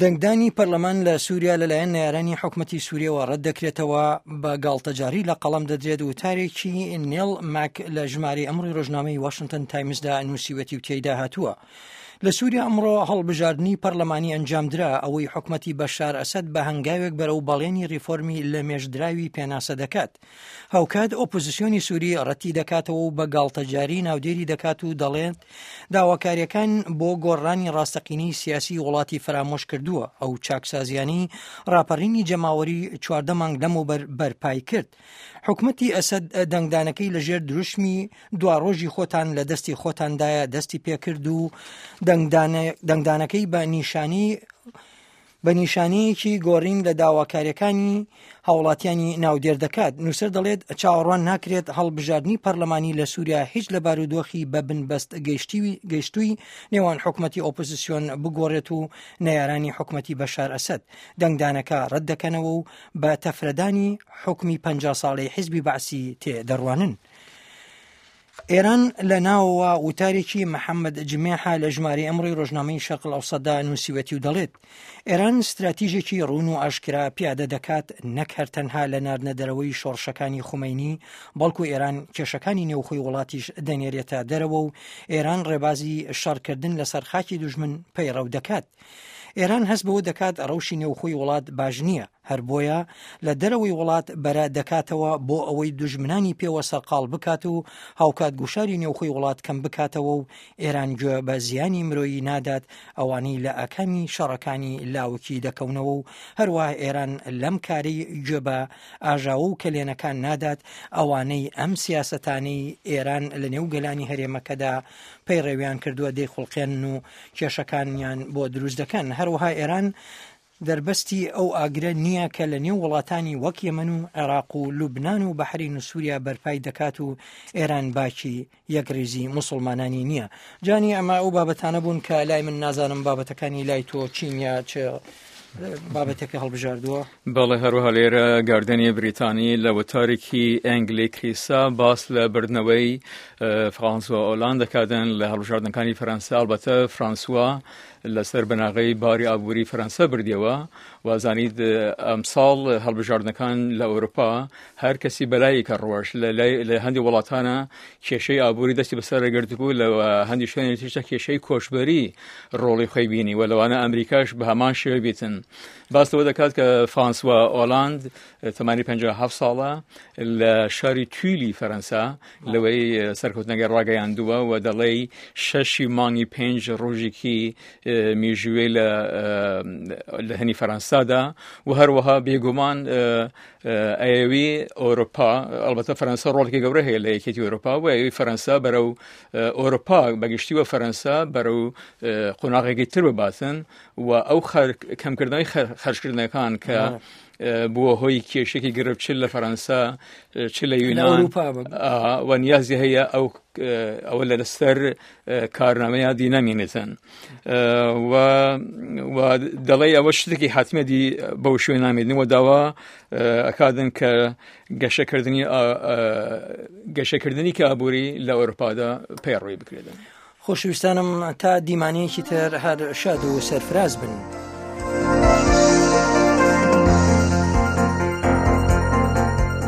دەنگدانی پەرلەمان لە سووریا لەلایەن نەیارانی حکومەتی سووریەوە ڕەت دەکرێتەوە، بە گاڵتەجاری لە قەڵەم دەدرێت. وتارێکی نێڵ ماک لە ژمارەی ئەمڕۆی ڕۆژنامەی واشنتن تایمزدا نووسیوەتی و تێیدا هاتووە، لە سووریا ئەمڕۆ هەڵبژاردنی پەرلەمانی ئەنجامدرا، ئەوەی حکومەتی بەشار ئەسەد بە هەنگاوێک بەرەو بەڵێنی ڕیفۆرمی لەمێژدراوی پێناسە دەکات. هاوکات ئۆپۆزسیۆنی سووری ڕەتی دەکاتەوە و بە گاڵتەجاری ناودێری دەکات و دەڵێت داواکاریەکان بۆ گۆڕانی ڕاستەقینەی سیاسی وڵاتی فەرامۆش کردووە، ئەو چاکسازیانەی ڕاپەڕینی جەماوەری 14 مانگ لەمەوبەر بەرپای کرد. حکومەتی ئەسەد دەنگدانەکەی لەژێر دروشمی دواڕۆژی خۆتان لە دەستی خۆتاندایە دەستی پێکرد و دەنگدانەکەی بە نیشانی بە نیشانەیەکی گۆڕین لە داواکاریەکانی هاوڵاتیانی ناودێر دەکات. نووسەر دەڵێت چاوەڕوان ناکرێت هەڵبژاردنی پەرلەمانی لە سووریا هیچ لە بارودۆخی بە بنبەست گەیشتووی نێوان حکومەتی ئۆپۆزیسیۆن بگۆڕێت و نەیارانی حکومەتی بەشار ئەسەد دەنگدانەکە ڕەت دەکەنەوە و بە تەفرەدانی حوکمی 50 ساڵەی حیزبی بەعسی تێ دەڕوانن. ئێران لە ناوەوە وتارێکی محەممەد جمێحە لە ژمارەی ئەمڕۆی ڕۆژنامەی شەرق ئەوسەدا نووسیوەتی و دەڵێت ئێران ستراتیژێکی ڕوون و ئاشکرا پیادە دەکات نەک هەر تەنها لە ناردنە دەرەوەی شۆڕشەکانی خومەینی بەڵکو ئێران کێشەکانی نێوخۆی وڵاتیش دەنێرێتە دەرەوە و ئێران ڕێبازی شەڕکردن لەسەر خاکی دوژمن پەیڕەو دەکات. ئێران هەست بەوە دەکات ڕەوشی نێوخۆی وڵات باش نییە، هەر بۆیە لە دەرەوەی وڵات بەرە دەکاتەوە بۆ ئەوەی دوژمنانی پێوە سەرقاڵ بکات و هاوکات گوشاری نێوخۆی وڵات کەم بکاتەوە و ئێران گوێ بە زیانی مرۆیی نادات ئەوانەی لە ئاکامی شەڕەکانی لاوکی دەکەونەوە و هەروەها ئێران لەم کارەی گوێ بە ئاژاوە و کەلێنەکان نادات ئەوانەی ئەم سیاسەتانەی ئێران لە نێو گەلانی هەرێمەکەدا پەیڕەویان کردووە دەیخوڵقێنن و کێشەکانیان بۆ دروست دەکەن. هەروەها ئێران دەربەستی ئەو ئاگرە نییە کە لە نێو وڵاتانی وەک یەمەن و عێراق و لوبنان و بەحرین و سووریا بەرپای دەکات و ئێران باکی یەکڕیزی موسڵمانانی نییە. جانی ئەمە ئەو بابەتانە بوون کە لای من نازانم بابەتەکانی لای تۆ چین یا چ بابەتێکە هەڵبژاردووە؟ بەڵێ هەروەها لێرە گاردنی بریتانی لە وتارێکی ئەنگلی کریسا باس لە بردنەوەی فرانسوا ئۆلاند دەکاتن لە هەڵبژاردنەکانی فەرەنسا ئەڵبەتە فرانسوا لەسەر بناغەی باری ئابووری فەرەنسا بردیەوە و زانیت ئەمساڵ هەڵبژاردنەکان لە ئەوروپا هەر کەسی بەلایەکە ڕۆژ لە هەندی وڵاتانە کێشەی ئابووری دەستی بەسەر گرتبوو لە هەندی شوێنی تیشتا کێشەی کۆچبەری ڕۆڵی خۆی بینی و لەوانە ئەمریکاش بە هەمان شێوە بیتن باس لەوە دەکات کە فرانسوا ئۆلاند تەمانی 57 ساڵە لە شاری تویلی فەرەنسا لەوەی سەرکەوتنەکەی ڕاگەیاندووە و دەڵێی شەشی مانگی پێنج ڕۆژێکی میژوێ لە لە هەنی فەرەنسادا و هەروەها بێگومان ئەیەوی ئەوروپا ئەلبەتە فەرەنسا ڕۆڵێکی گەورە هەیە لە یەکێتی ئەوروپا و ئەوی فەرەنسا بەرەو ئەوروپا بەگشتی و فەرەنسا بەرەو قۆناغێکی تر بباتن و ئەو کەمکردنەوەی خەرجکردنەکان کە بووە هۆی کێشێکی گرفت چ لە فەرەنسا چ لە یونان و نیازی هەیە ئەو ئەوە لە لەسەر کارنامەیە دی نەمێنێتن و دەڵێ ئەوە شتێکی حتممە دی بەو شوێ نامێنن و داوا ئەکادن کە گەشەکردنی گەشەکردنی کە ئابووری لە ئەوروپادا پەیڕوی بکرێتن. خۆشەویستانم تا دیمانەیەکی تر هەر شاد و سەرفراز بن.